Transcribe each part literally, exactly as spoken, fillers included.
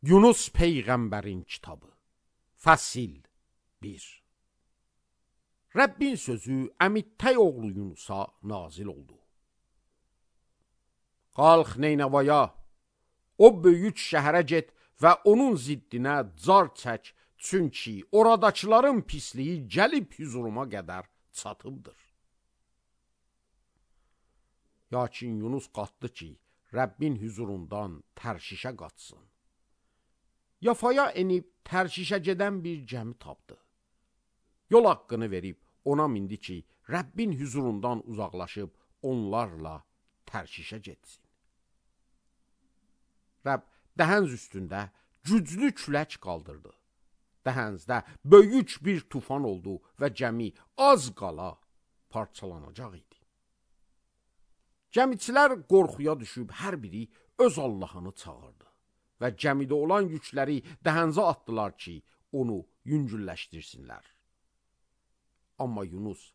Yunus Peyğəmbərin kitabı. Fəsil bir. Rəbbin sözü Əmittəy oğlu Yunusa nazil oldu. Qalx Neynəvaya, o böyük şəhərə get və onun ziddinə car çək, çünki oradakıların pisliyi gəlib hüzuruma qədər çatıbdır. Lakin Yunus qalxdı ki, Rəbbin hüzurundan Tərşişə qaçsın. Yafaya enib Tərşişə gedən bir gəmi tapdı. Yol haqqını verib ona mindi ki, Rəbbin hüzurundan uzaqlaşıb onlarla Tərşişə getsin. Rəbb dəhənz üstündə güclü külək qaldırdı. Dəhənzdə böyük bir tufan oldu və gəmi az qala parçalanacaq idi. Gəmiçilər qorxuya düşüb hər biri öz Allahını çağırdı və gəmidə olan yükləri dəhənzə atdılar ki, onu yüngülləşdirsinlər. Amma Yunus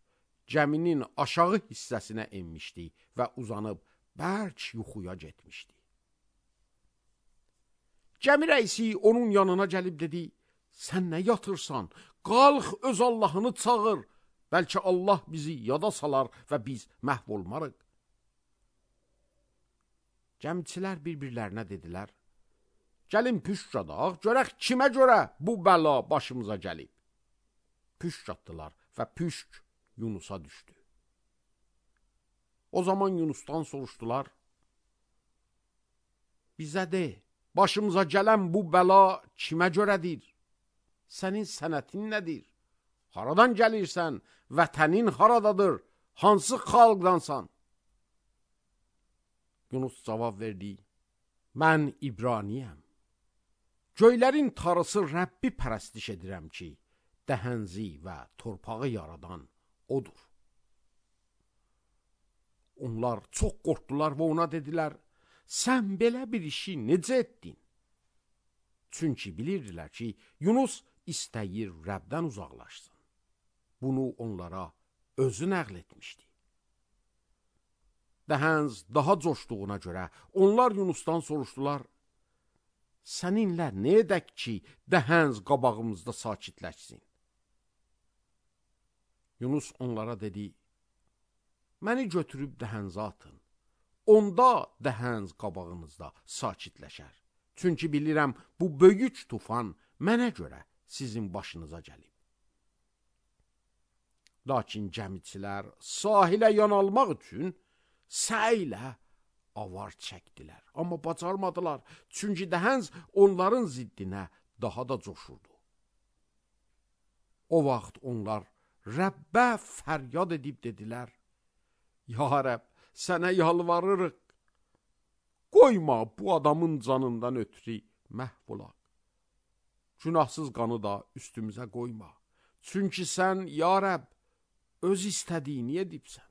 gəminin aşağı hissəsinə enmişdi və uzanıb bərk yuxuya getmişdi. Gəmi rəisi onun yanına gəlib dedi, sən nə yatırsan, qalx öz Allahını çağır, bəlkə Allah bizi yada salar və biz məhv olmarıq. Gəmiçilər bir-birlərinə dedilər, gəlin püşk adaq, görək kimə görə bu bəla başımıza gəlib. Püşk atdılar və püşk Yunusa düşdü. O zaman Yunusdan soruşdular, bizə de, başımıza gələn bu bəla kimə görədir? Sənin sənətin nədir? Haradan gəlirsən? Vətənin haradadır? Hansı xalqdansan? Yunus cavab verdi, mən İbraniyəm. Göylərin tarısı Rəbbi pərəstiş edirəm ki, dəhənzi və torpağı yaradan odur. Onlar çox qorxdular və ona dedilər, sən belə bir işi necə etdin? Çünki bilirdilər ki, Yunus istəyir Rəbdən uzaqlaşsın. Bunu onlara özü nəql etmişdi. Dəhənz daha coşduğuna görə onlar Yunusdan soruşdular, səninlə nə edək ki, dəhənz qabağımızda sakitləşsin? Yunus onlara dedi, məni götürüb dəhənzə atın, onda dəhənz qabağınızda sakitləşər. Çünki bilirəm, bu böyük tufan mənə görə sizin başınıza gəlib. Lakin gəmiçilər sahilə yanalmaq üçün səylə avar çəkdilər, amma bacarmadılar, çünki dəhənz onların ziddinə daha da coşurdu. O vaxt onlar Rəbbə fəryad edib dedilər, ya Rəbb, sənə yalvarırıq, qoyma bu adamın canından ötürü məhv olaq. Günahsız qanı da üstümüzə qoyma, çünki sən, ya Rəbb, öz istədiyini edibsən.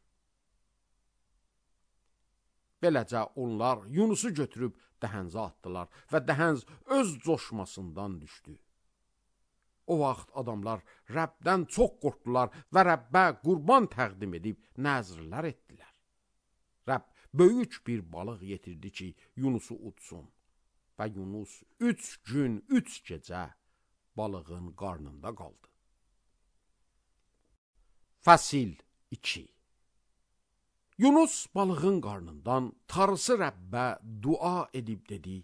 Beləcə onlar Yunusu götürüb dəhənzə atdılar və dəhənz öz coşmasından düşdü. O vaxt adamlar Rəbdən çox qorxdular və Rəbbə qurban təqdim edib nəzrlər etdilər. Rəbb böyük bir balıq yetirdi ki, Yunusu utsun və Yunus üç gün, üç gecə balığın qarnında qaldı. Fəsil iki. Yunus balığın qarnından tarısı Rəbbə dua edib dedi,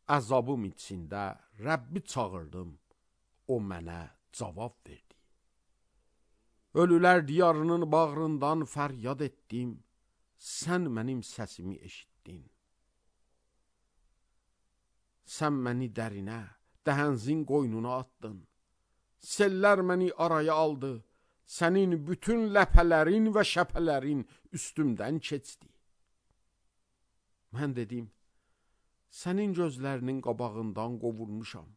əzabım içində Rəbbi çağırdım, o mənə cavab verdi. Ölülər diyarının bağrından fəryad etdim, sən mənim səsimi eşitdin. Sən məni dərinə, dəhənzin qoynuna atdın, sellər məni araya aldı, sənin bütün ləpələrin və şəpələrin üstümdən keçdi. Mən dedim, sənin gözlərinin qabağından qovulmuşam.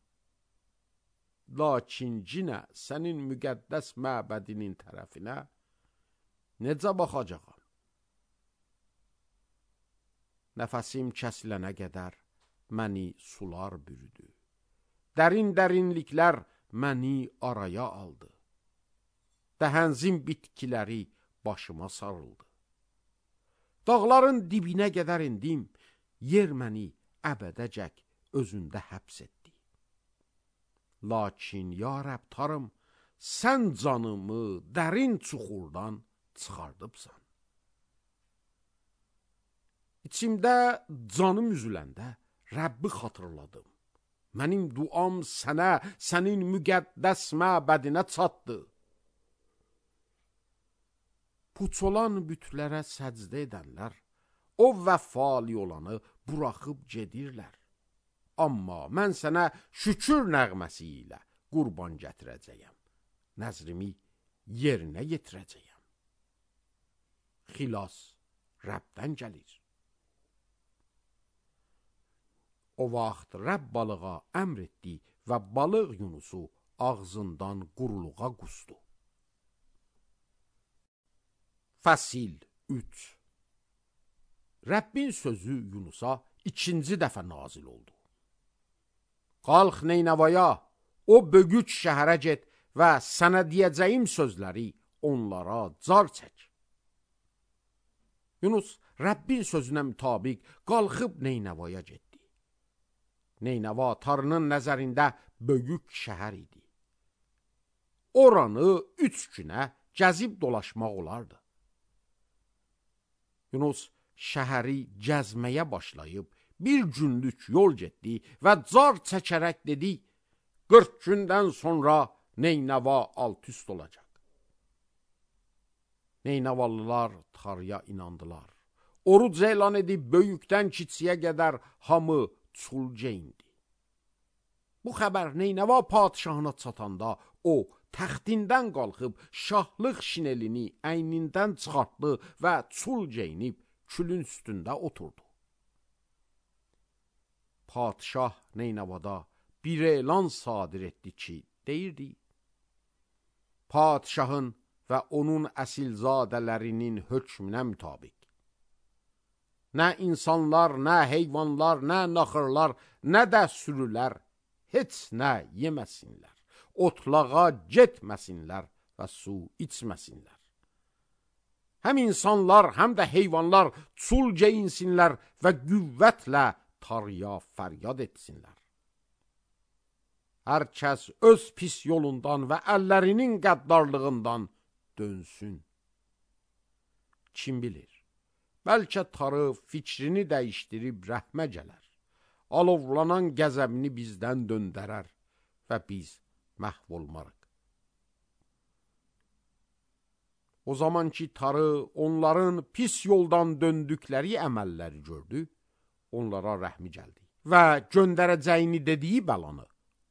Lakin yenə sənin müqəddəs məbədinin tərəfinə necə baxacaqam? Nəfəsim kəsilənə qədər məni sular bürüdü. Dərin-dərinliklər məni araya aldı. Dəhənzin bitkiləri başıma sarıldı. Dağların dibinə qədər endim, yer məni əbədəcək özündə həbs etdi. Lakin ya Rəbb tarım, sən canımı dərin çuxurdan çıxardıbsan. İçimdə canım üzüləndə Rəbbi xatırladım. Mənim duam sənə, sənin müqəddəs məbədinə çatdı. Puç olan bütlərə səcdə edənlər, o vəfali olanı buraxıb gedirlər. Amma mən sənə şükür nəğməsi ilə qurban gətirəcəyəm. Nəzrimi yerinə yetirəcəyəm. Xilas Rəbdən gəlir. O vaxt Rəbb balığa əmr etdi və balıq Yunusu ağzından quruluğa qusdu. Fəsil üç. Rəbbin sözü Yunusa ikinci dəfə nazil oldu. Qalx Neynəvaya, o bögüç şəhərə get və sənə deyəcəyim sözləri onlara car çək. Yunus Rəbbin sözünə mütabiq qalxıb Neynəvaya getdi. Neynəva Tanrının nəzərində böyük şəhər idi. Oranı üç günə gəzib dolaşmaq olardı. Yunus şəhəri gəzməyə başlayıb bir günlük yol getdi və car çəkərək dedi, qırx gündən sonra Neynəva alt üst olacaq. Neynəvalılar Tanrıya inandılar. Oruc elan edib böyükdən kiçiyə qədər hamı çulca indi. Bu xəbər Neynəva padişahına çatanda o təxtindən qalxıb şahlıq şinelini əynindən çıxartdı və çulca inib külün üstündə oturdu. Padişah Neynəvada bir elan sadir etdi ki, deyirdi, padişahın və onun əsilzadələrinin hökmünə mütabiq. Nə insanlar, nə heyvanlar, nə naxırlar, nə də sürülər, heç nə yeməsinlər, otlağa getməsinlər və su içməsinlər. Həm insanlar, həm də heyvanlar çulca insinlər və qüvvətlə Tanrıya fəryad etsinlər. Hər kəs öz pis yolundan və əllərinin qəddarlığından dönsün. Kim bilir, bəlkə Tanrı fikrini dəyişdirib rəhmə gələr, alovlanan qəzəbini bizdən döndərər və biz məhv olmarıq. O zaman ki Tanrı onların pis yoldan döndükləri əməlləri gördü, onlara rəhmi gəldi və göndərəcəyini dediyi bəlanı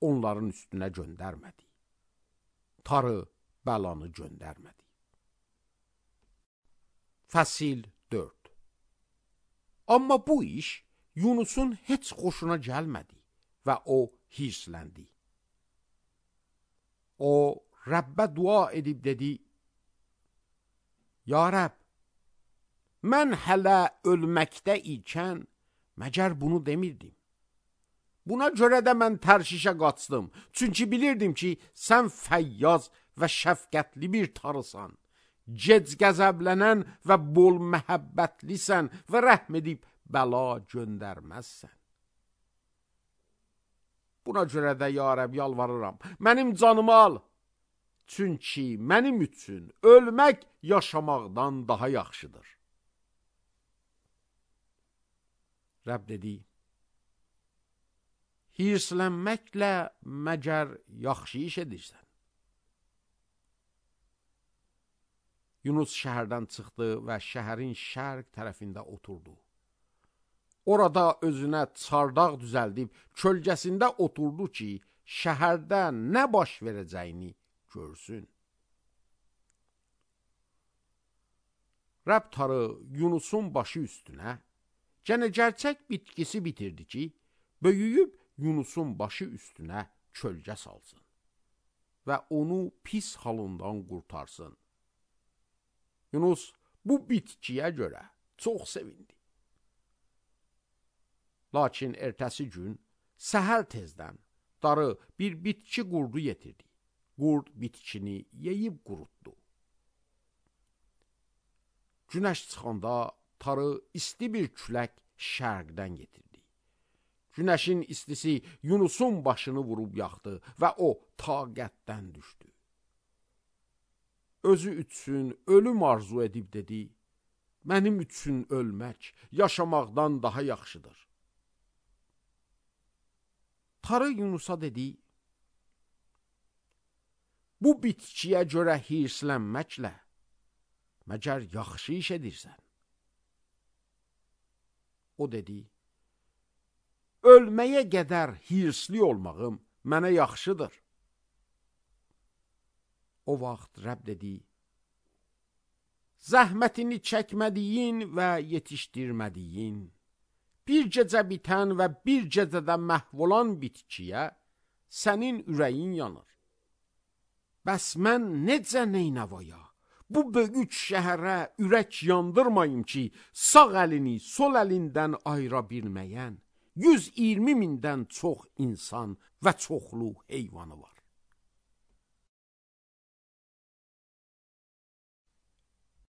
onların üstünə göndərmədi. Tanrı bəlanı göndərmədi. Fəsil dörd. Amma bu iş Yunusun heç xoşuna gəlmədi və o hirsləndi. O Rəbbə dua edib dedi, Ya Rəbb, mən hələ ölməkdə ikən məgər bunu demirdim. Buna görə də mən Tərşişə qaçdım, çünki bilirdim ki, sən fəyyaz və şəfqətli bir Tanrısan, gec qəzəblənən və bol məhəbbətlisən və rəhm edib bəla göndərməzsən. Buna görə də ya Rəbb yalvarıram, mənim canımı al, çünki mənim üçün ölmək yaşamaqdan daha yaxşıdır. Rəbb dedi, hirslənməklə məgər yaxşı iş edirsən? Yunus şəhərdən çıxdı və şəhərin şərq tərəfində oturdu. Orada özünə çardaq düzəldib kölgəsində oturdu ki, şəhərdə nə baş verəcəyini görsün. Rəbb Tanrı Yunusun başı üstünə gənə gerçək bitkisi bitirdi ki, böyüyüb Yunusun başı üstünə kölgə salsın və onu pis halından qurtarsın. Yunus bu bitkiyə görə çox sevindi. Lakin ertəsi gün səhər tezdən Tanrı bir bitki qurdu yetirdi. Qurd bitkini yeyib qurutdu. Günəş çıxanda Tanrı isti bir külək şərqdən getirdi. Günəşin istisi Yunusun başını vurub yaxdı və o taqətdən düşdü. Özü üçün ölüm arzu edib dedi, mənim üçün ölmək yaşamaqdan daha yaxşıdır. Tarı Yunusa dedi, bu bitkiyə görə hirslənməklə məgər yaxşı iş edirsən? O dedi, ölməyə qədər hirsli olmağım mənə yaxşıdır. O vaxt Rəbb dedi, zəhmətini çəkmədiyin və yetişdirmədiyin, bir gecə bitən və bir gecədə məhv olan bitkiyə sənin ürəyin yanır. Bəs mən necə Neynəvaya, bu böyük şəhərə ürək yandırmayım ki, sağ əlini sol əlindən ayıra bilməyən yüz iyirmi mindən çox insan və çoxlu heyvanı var.